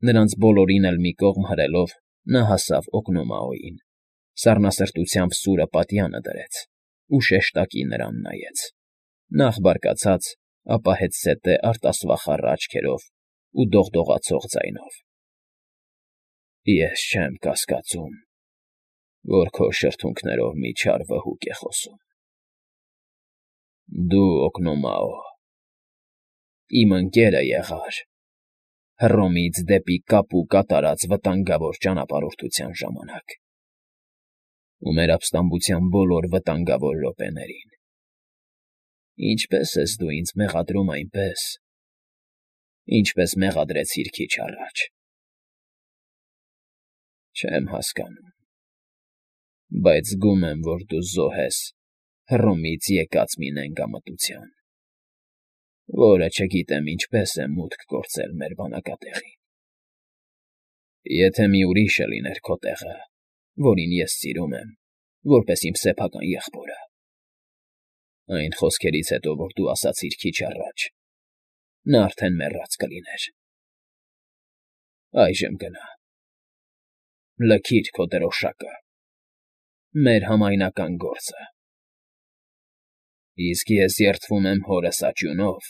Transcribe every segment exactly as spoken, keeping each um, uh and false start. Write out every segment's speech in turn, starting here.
Նրանց բոլորին էլ մի կողմ հրելով՝ նա հասավ Օկնոմաոյին, սառնասրտությամբ սուրը պատյանը դրեց ու շեշտակի նրան նայեց, նախ բարկացած, ապա հետզհետե արտասվախառ աչքերով ու դողդողացող ձայնով։ ֊ Ես չեմ կասկածում, որ քո շրթունքներով մի չար վհուկ է խոսում… Դու, Օկնոմաո, իմ ընկերը եղար Հռոմից դեպի Կապու կատարած վտանգավոր ճանապարհորդության ժամանակ ու մեր ապստամբության բոլոր վտանգավոր րոպեներին, ինչպես ես դու ինձ մեղադրում այնպես, ինչպես մեղադրեցիր քիչ առաջ… Չեմ հասկանում, բայց զգում եմ, որ դու զոհ ես Հռոմից եկած մի նենգամտության, որը չգիտեմ ինչպես է մուտք գործել մեր բանակատեղին… Եթե մի ուրիշը լիներ քո տեղը, որին ես սիրում եմ որպես իմ սեփական եղբորը, այն խոսքերից հետո, որ դու ասացիր քիչ առաջ, նա արդեն մեռած կլիներ… Այժմ գնա, լքիր քո դրոշակը, մեր համայնական գործը… Իսկ ես երդվում եմ հորս աճյունով,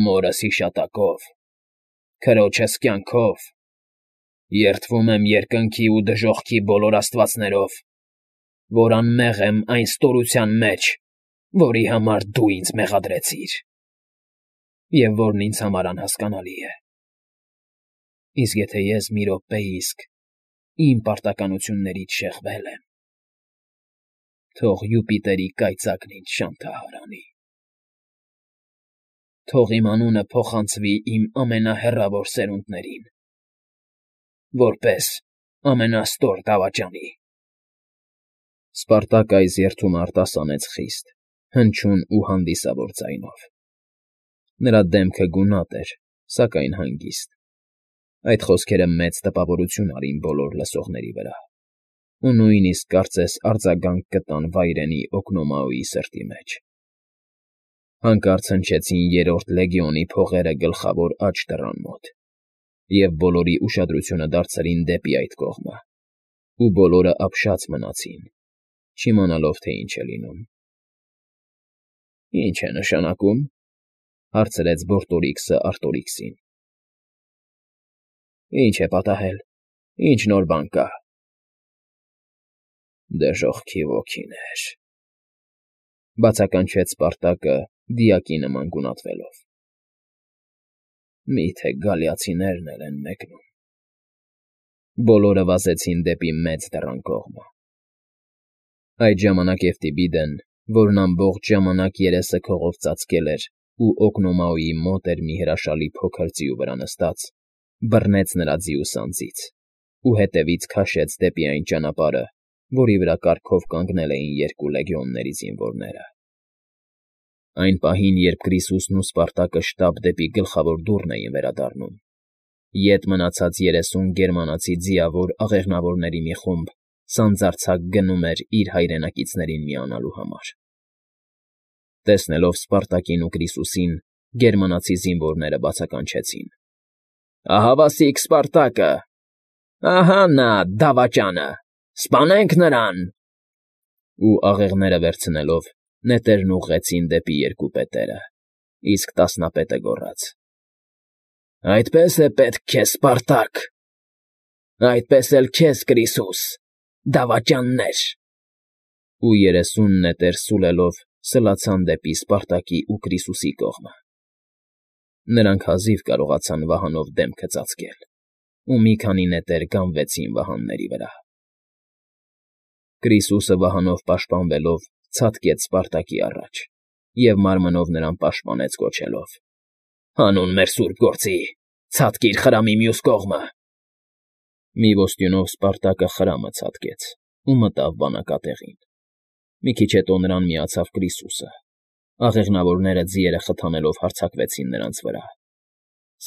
մորս հիշատակով, քրոջս կյանքով, երդվում եմ երկնքի ու դժոխքի բոլոր աստվածներով, որ անմեղ եմ այն ստորության մեջ, որի համար դու ինձ մեղադրեցիր, և որն ինձ համար անհասկանալի է… Իսկ եթե ես մի րոպե իսկ իմ պարտականություններից շեղվել եմ, թող Յուպիտերի կայծակն ինձ շանթահարանի… Թող իմ անունը փոխանցվի իմ ամենահեռավոր սերունդներին, որպես ամենաստոր դավաճանի… Սպարտակը այս երդումը արտասանեց խիստ, հնչյուն ու հանդիսավոր ձայնով. նրա դեմքը գունատ էր, սակայն հանգիստ. այդ խոսքերը մեծ տպավորություն արին բոլոր լսողների վրա ու նույնիսկ կարծես արձագանք կտան վայրենի Օկնոմաոյի սրտի մեջ… Հանկարծ հնչեցին Երրորդ լեգիոնի փողերը գլխավոր աջ դռան մոտ, և բոլորի ուշադրությունը դարձրին դեպի այդ կողմը, ու բոլորը ապշած մնացին, չիմանալով, թե ինչ է լինում։ ֊ Ի՞նչ է նշանակում,֊ հարցրեց Բորտորիքսը Արտորիքսին։ ֊ Ի՞նչ է պատահել, ի՞նչ նոր բան կա։ ֊ Դժոխքի ոգիներ,֊ բացականչեց Սպարտակը դիակի նման գունատվելով։ ֊ Մի՞թե գալիացիներն էլ են մեկնում… Բոլորը վազեցին դեպի մեծ դռան կողմը։ Այդ ժամանակ Եվտիբիդեն, որն ամբողջ ժամանակ երեսը քողով ծածկել էր ու Օկնոմաոյի մոտ էր մի հրաշալի փոքր ձիու վրա նստած, բռնեց նրա ձիու սանձից ու հետևից քաշեց դեպի այն ճանապարհը, որի վրա կարգով կանգնել էին երկու լեգիոնների զինվորները։ Այն պահին, երբ Կրիսուսն ու Սպարտակը շտապ դեպի գլխավոր դուռն էին վերադառնում, ետ մնացած երեսուն գերմանացի ձիավոր աղեղնավորների մի խումբ սանձարձակ գնում էր իր հայրենակիցներին միանալու համար։ Տեսնելով Սպարտակին ու Կրիսուսին, գերմանացի զինվորները բացականչեցին. «Ահավասիկ Սպարտակը… Ահա նա, դավաճանը… Սպանենք նրան…» Ու աղեղները վերցնելով՝ նետերն ուղղեցին դեպի երկու պետերը, իսկ տասնապետը գոռաց. «Այդպես է պետք քեզ, Սպարտակ… Այդպես էլ քեզ, Կրիսուս, դավաճաններ…» Ու երեսուն նետեր սուլելով սլացան դեպի Սպարտակի ու Կրիսուսի կողմը։ Նրանք հազիվ կարողացան վահանով դեմքը ծածկել, ու մի քանի նետեր գանվեցին վահանների վրա։ Կրիսուսը վահանով պաշտպանվելով ցատկեց Սպարտակի առաջ և մարմնով նրան պաշտպանեց կոչելով. «Հանուն մեր սուրբ գործի, ցատկիր խրամի մյուս կողմը»։ Մի ոստյունով Սպարտակը խրամը ցատկեց ու մտավ բանակատեղին։ Մի քիչ հետո նրան միացավ Կրիսուսը, աղեղնավորները ձիերը խթանելով հարձակվեցին նրանց վրա,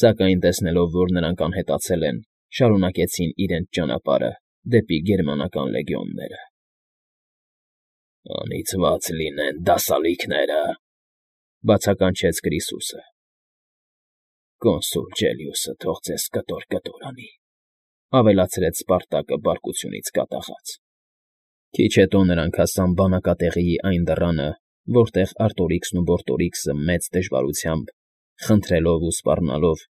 սակայն տեսնելով, որ նրանք անհետացել են, շարունակեցին իրենց ճանապարհը դեպի գերմանական լեգիոնները։ «Անիծված լինեն դասալիքները…֊ բացականչեց Կրիսուսը։ Կոնսուլ Ջելիուսը թող ձեզ կտոր֊կտոր անի,֊ ավելացրեց Սպարտակը բարկությունից կատաղած։ Քիչ հետո նրանք հասան բանակատեղիի այն դռանը, որտեղ Արտորիքսն ու Բորտորիքսը մեծ դժվարությամբ, խնդրելով ու սպառնալով,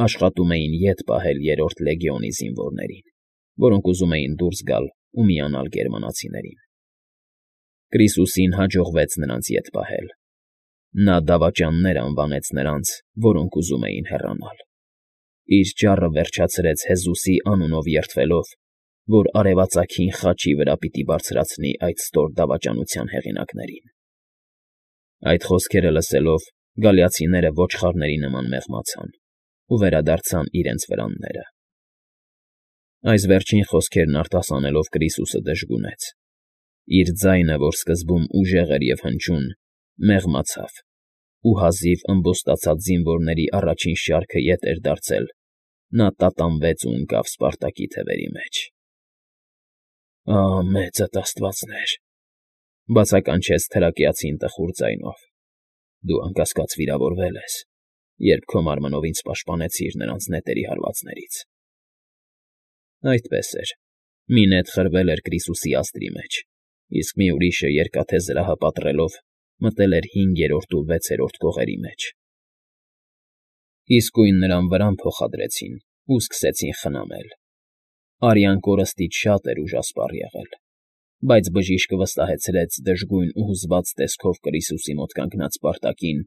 աշխատում էին ետ պահել Երրորդ լեգիոնի զինվորներին, որոնք ուզում էին դուրս գալ ու միանալ գերմանացիներին։ Կրիսուսին հաջողվեց նրանց ետ պահել։ Նա դավաճաններ անվանեց նրանց, որոնք ուզում էին հեռանալ։ Իր ճառը վերջացրեց Հեզուսի անունով երդվելով, որ արևածագին խաչի վրա պիտի բարձրացնի այդ ստոր դավաճանության հեղինակներին։ Այդ խոսքերը լսելով, գալիացիները ոչխարների նման մեղմացան ու վերադարձան իրենց վրանները։ Այս վերջին խոսքերն արտասանելով Կրիսուսը դժգունեց։ Իր ձայնը, որ սկզբում ուժեղ էր և հնչյուն, մեղմացավ, ու հազիվ ըմբոստացած զինվորների առաջին շարքը ետ էր դարձել, նա տատանվեց ու ընկավ Սպարտակի թևերի մեջ։ «Ահ, մեծդ աստվածներ,֊ բացականչեց թրակիացին տխուր ձայնով,֊ դու անկասկած վիրավորվել ես, երբ քո մարմնով ինձ պաշտպանեցիր նրանց նետերի հարվածներից»։ Այդպես էր. մի նետ խրվել էր Կրիսուսի ազդրի մեջ, իսկ մի ուրիշը, երկաթե զրահը պատռելով, մտել էր հինգերորդ ու վեցերորդ կողերի մեջ։ Իսկույն նրան վրան փոխադրեցին ու սկսեցին խնամել։ Արյան կորստից շատ էր ուժասպառ եղել, բայց բժիշկը վստահեցրեց դժգույն ու հուզված տեսքով Կրիսուսի մոտ կանգնած Սպարտակին,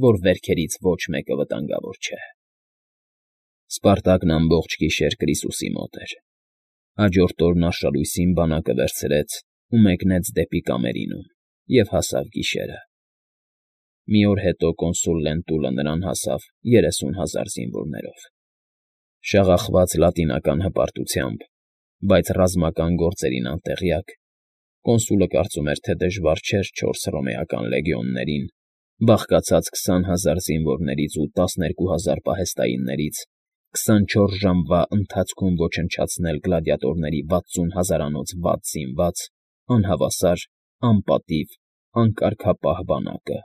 որ վերքերից ոչ մեկը վտանգավոր չէ։ Սպարտակն ամբողջ գիշեր Կրիսուսի մոտ էր։ Հաջորդ օրն արշալույսին բանակը վերցրեց ու մեկնեց դեպի Կամերինում և հասավ գիշերը։ Մի օր հետո կոնսուլ Լենտուլը նրան հասավ երեսուն հազար զինվորներով։ Շաղախված լատինական հպարտությամբ, բայց ռազմական գործերին անտեղյակ, կոնսուլը կարծում էր, թե դժվար չէր չորս հռոմեական լեգիոններին, բաղկացած քսան հազար զինվորներից ու տասներկու հազար պահեստայիններից, քսանչորս ժամվա ընթացքում ոչնչացնել գլադիատորների վաթսուն հազարանոց վատ զինված, անհավասար, անպատիվ, անկարգապահ բանակը,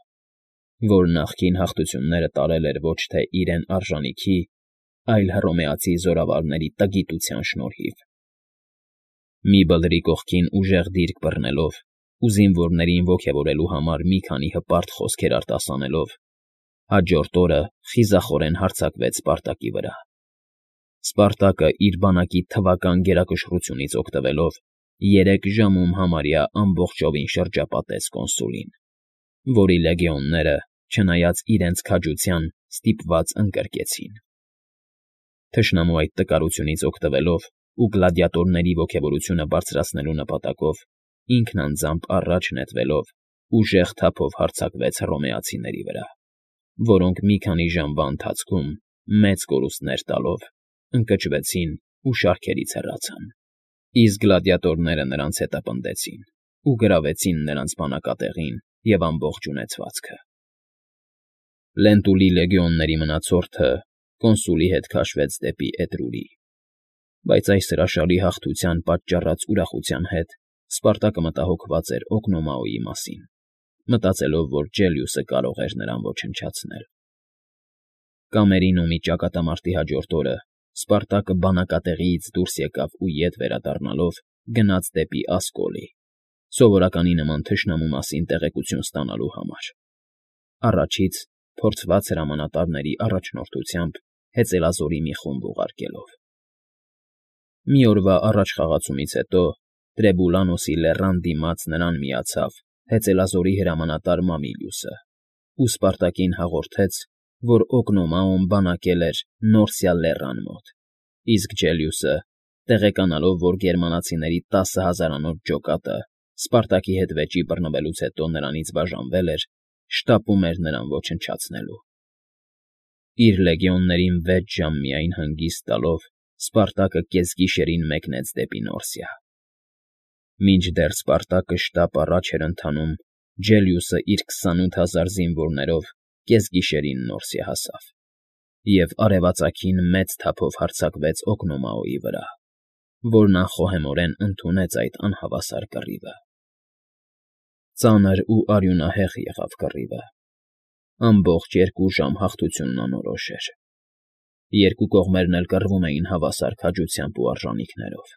որ նախկին հաղթությունները տարել էր ոչ թե իրեն արժանիքի, այլ հռոմեացի զորավարների տգիտության շնորհիվ։ Մի բլրի կողքին ուժեղ դիրք բռնելով ու զինվորներին ոգևորելու համար մի քանի հպարտ խոսքեր արտասանելով, հաջորդ օրը խիզախորեն հարձակվեց Սպարտակի վրա։ Սպարտակը իր բանակի թվական գերակշռությունից օգտվելով, երեք ժամում համարյա ամբողջովին շրջապատեց կոնսուլին, որի լեգիոնները, չնայած իրենց քաջության, ստիպված ընկրկեցին։ Թշնամու այդ տկարությունից օգտվելով ու գլադիատորների ոգևորությունը բարձրացնելու նպատակով, ինքն անձամբ առաջ նետվելով, ուժեղ թափով հարձակվեց հռոմեացիների վրա, որոնք մի քանի ժամվա ընթացքում, մեծ կորուստներ տալով, ընկճվեցին ու շարքերից հեռացան, իսկ գլադիատորները նրանց հետապնդեցին ու գրավեցին նրանց բանակատեղին և ամբողջ ունեցվածքը։ Լենտուլի լեգիոնների մնացորդը կոնսուլի հետ քաշվեց դեպի Էտրուրի, բայց այս հրաշալի հաղթության պատճառած ուրախության հետ Սպարտակը մտահոգված էր Օկնոմաոյի մասին, մտածելով, որ Ջելիուսը կարող էր նրան ոչնչացնել։ Կամերինումի ճակատամարտի հաջորդ օրը Սպարտակը բանակատեղիից դուրս եկավ ու ետ վերադառնալով գնաց դեպի Ասկոլի, սովորականի նման թշնամու մասին տեղեկություն ստանալու համար։ Առաջից փորձված հրամանատարների առաջնորդությամբ հեծելազորի մի խումբ ուղարկելով։ Մի օրվա առաջխաղացումից հետո Տրեբուլանոսի լեռան դիմաց նրան միացավ հեծելազորի հրամանատար Մամիլիուսը ու Սպարտակին հաղորդեց, որ Օկնոմաոն բանակել էր Նորսիա լեռան մոտ, իսկ Ջելիուսը, տեղեկանալով, որ գերմանացիների տասը հազարանոց ջոկատը Սպարտակի հետ վեճի բռնվելուց հետո նրանից բաժանվել էր, շտապում էր նրան ոչնչացնելու։ Իր լեգիոններին վեց ժամ միայն հանգիստ տալով, Սպարտակը կեսգիշերին մեկնեց դեպի Նորսիա։ Մինչդեռ Սպարտակը շտապ առաջ էր ընթանում, Ջելիուսը իր քսանութ հազար զինվորներով կեսգիշերին Նորսիա հասավ և արևածագին մեծ թափով հարձակվեց Օկնոմաոյի վրա, որն անխոհեմորեն ընդունեց այդ անհավասար կռիվը։ Ծանր ու արյունահեղ եղավ կռիվը։ Ամբողջ երկու ժամ հաղթությունն անորոշ էր։ Երկու կողմերն էլ կռվում էին հավասար քաջությամբ ու արժանիքներով,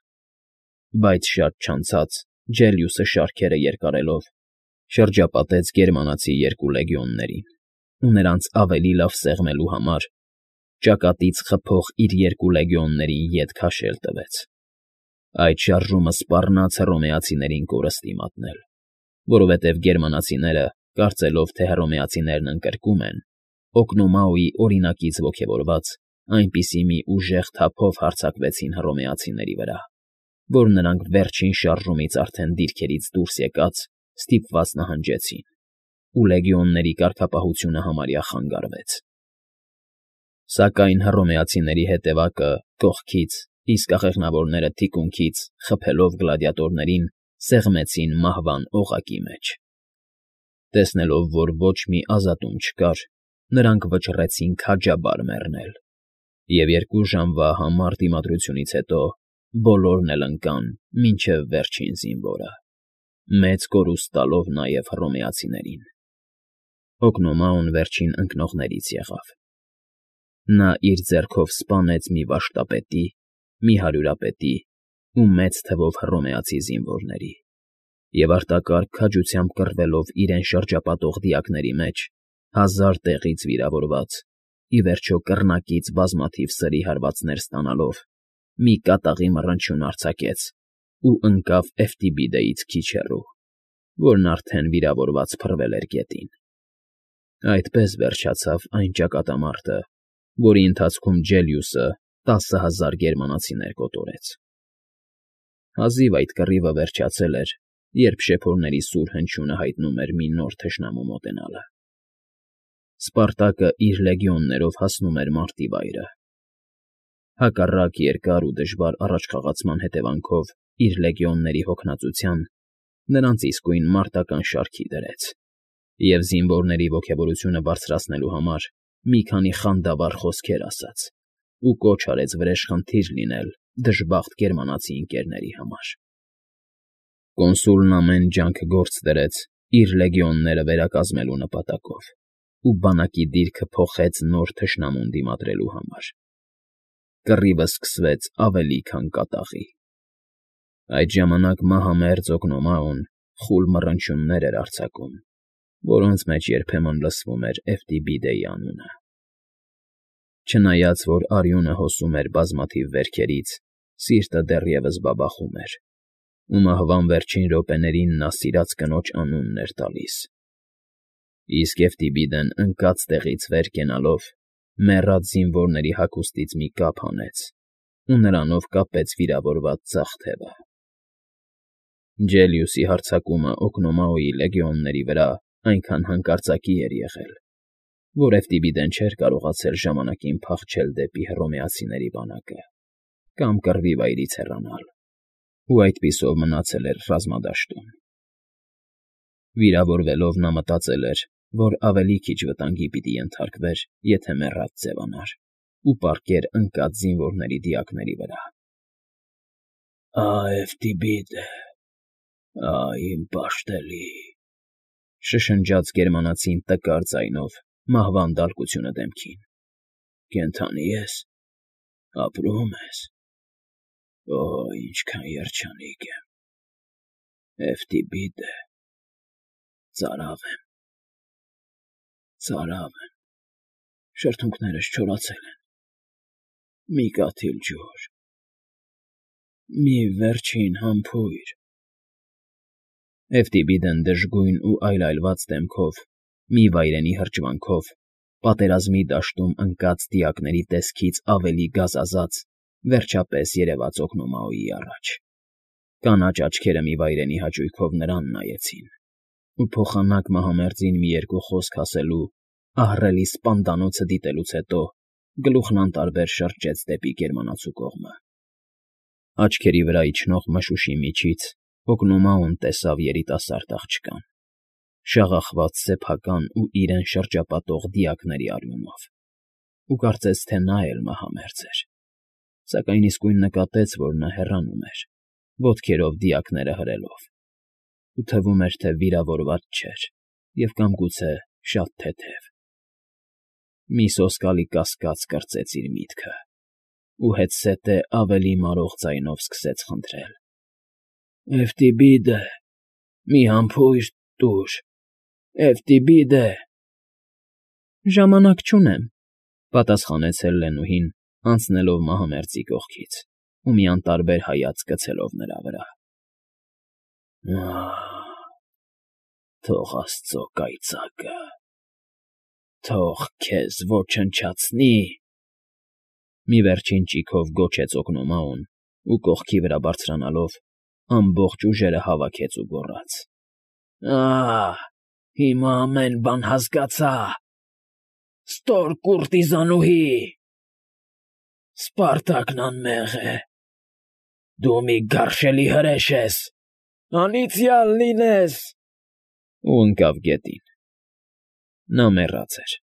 բայց շատ չանցած Ջելիուսը շարքերը երկարելով շրջապատեց գերմանացի երկու լեգիոններին ու նրանց ավելի լավ սեղմելու համար ճակատից խփող իր երկու լեգիոններին ետ քաշել տվեց։ Այդ շարժումը սպառնաց հռոմեացիներին կորստի մատնել, որովհետև գերմանացիները, կարծելով, թե հռոմեացիներն ընկրկում են, Օկնոմաուի օրինակից ոգևորված, այնպիսի մի ուժեղ թափով հարձակվեցին հռոմեացիների վրա, որ նրանք վերջին շարժումից արդեն դիրքերից դուրս եկած ստիպված նահանջեցին, ու լեգիոնների կարգապահությունը համարյա խանգարվեց։ Սակայն հռոմեացիների հետևակը կողքից, իսկ աղեղնավորները թիկունքից, խփելով գլադիատորներին, սեղմեցին մահվան օղակի մեջ։ Տեսնելով, որ ոչ մի ազատում չկար, նրանք վճռեցին քաջաբար մեռնել, և երկու ժամվա համառ դիմադրությունից հետո բոլորն էլ ընկան մինչև վերջին զինվորը, մեծ կորուստ տալով նաև հռոմեացիներին։ Օկնոմաուն վերջին ընկնողներից եղավ։ Նա իր ձեռքով սպանեց մի վաշտապետի, մի հարյուրապետի ու մեծ թվով հռոմեացի զինվորների, և արտակարգ քաջությամբ կռվելով իրեն շրջապատող դիակների մեջ, հազար տեղից վիրավորված, ի վերջո կռնակից բազմաթիվ սրի հարվածներ ստանալով, մի կատաղի մռնչյուն արձակեց ու ընկավ Էֆտիբիդեից քիչ հեռու, որն արդեն վիրավորված փռվել էր գետին։ Այդպես վերջացավ այն ճակատամարտը, որի ընթացքում Ջելիուսը տասը հազար գերմանացիներ կոտորեց։ Հազիվ այդ կռիվը վերջացել էր, երբ շեփորների սուր հնչյունը հայտնում էր մի նոր թշնամու մոտենալը։ Սպարտակը իր լեգիոններով հասնում էր մարտի վայրը։ Հակառակ երկար ու դժվար առաջխաղացման հետևանքով իր լեգիոնների հոգնածության, նրանց իսկույն մարտական շարքի դրեց, և զինվորների ոգևորությունը բարձրացնելու համար մի քանի խանդավառ խոսքեր ասաց ու կոչ արեց վրեժխնդիր լինել դժբախտ գերմանացի ընկերների համար։ Կոնսուլն ամեն ջանք գործ դրեց իր լեգիոնները վերակազմելու նպատակով ու բանակի դիրքը փոխեց նոր թշնամուն դիմադրելու համար։ Կռիվը սկսվեց ավելի քան կատաղի։ Այդ ժամանակ մահամերձ Օկնոմաուն խուլ մռնչյուններ էր արձակում, որոնց մեջ երբեմն լսվում էր Էֆտիբիդեի անունը։ Չնայած որ արյունը հոսում էր բազմաթիվ վերքերից, սիրտը դեռևս բաբախում էր, ու մահվան վերջին րոպեներին նա սիրած կնոջ անունն էր տալիս։ Իսկ Էֆտիբիդեն ընկած տեղից վեր կենալով, մեռած զինվորների հագուստից մի կապ հանեց ու նրանով կապեց վիրավորված ձախ թևը։ Ջելիուսի հարձակումը Օկնոմաուի լեգիոնների վրա այնքան հանկարծակի էր եղել, որ Էֆտիբիդեն չէր կարողացել ժամանակին փախչել դեպի հռոմեացիների բանակը կամ կռվի վայրից հեռանալ, ու այդպիսով մնացել էր ռազմադաշտում։ Վիրավորվելով նա մտածել էր, որ ավելի քիչ վտանգի պիտի ենթարկվեր, եթե մեռած ձևանար ու պառկեր ընկած զինվորների դիակների վրա։ «Ա՜, Էֆտիբիդե, ա՜, իմ պաշտելի…» շշնջաց գերմանացին տկար ձայնով, մահվան դալկությունը դեմքին։ «Կենդանի ես, ապրո՞ւմ ես։ Օ՜, ինչքան երջանիկ եմ… Էֆտիբիդե, ծարավ եմ, ծարավ եմ, շրթունքներս չորացել են, մի կաթիլ ջուր, մի վերջին համբույր…» Էֆտիբիդեն դժգույն ու այլայլված դեմքով, մի վայրենի հրճվանքով, պատերազմի դաշտում ընկած դիակների տեսքից ավելի գազազած, վերջապես երևաց Օկնոմաուի առաջ։ Կանաչ աչքերը մի վայրենի հաճույքով նրան նայեցին, ու փոխանակ մահամերձին մի երկու խոսք ասելու, ահռելի սպանդանոցը դիտելուց հետո գլուխն անտարբեր շրջեց դեպի գերմանացու կողմը։ Աչքերի վրա իջնող մշուշի միջից Օկնոմաուն տեսավ երիտասարդ աղջկան, շաղախված սեփական ու իրեն շրջապատող դիակների արյունով, ու կարծեց, թե նա էլ մահամերձ էր, սակայն իսկույն նկատեց, որ նա հեռանում էր, ոտքերով դիակները հրելով, ու թվում էր, թե վիրավորված չէր և կամ գուցե շատ թեթև։ Մի սոսկալի կասկած կրծեց իր միտքը ու հետզհետե ավելի մարող ձայնով սկսեց խնդրել. ֊ Էֆտիբիդը, մի համբույր տուր, Էֆտիբիդը… ֊ Ժամանակ չունեմ,֊ պատասխանեց Հելլենուհին, անցնելով մահամերձի կողքից ու մի անտարբեր հայացք գցելով նրա վրա։ ֊ Ա՜հ… Թող աստծո կայծակը… Թող քեզ ոչնչացնի… Մի վերջին ճիգով գոչեց օգնոմաուն ու, կողքի վրա բարձրանալով, ամբողջ ուժերը հավաքեց ու գոռաց. ֊ Ա՜հ… Հիմա ամեն բան հասկացա… Ստոր կուրտիզանուհի… Սպարտակն անմեղ է… Դու մի գարշելի հրեշ ես… Անիծյալ լինես… Ու ընկավ գետին… Նա մեռած էր։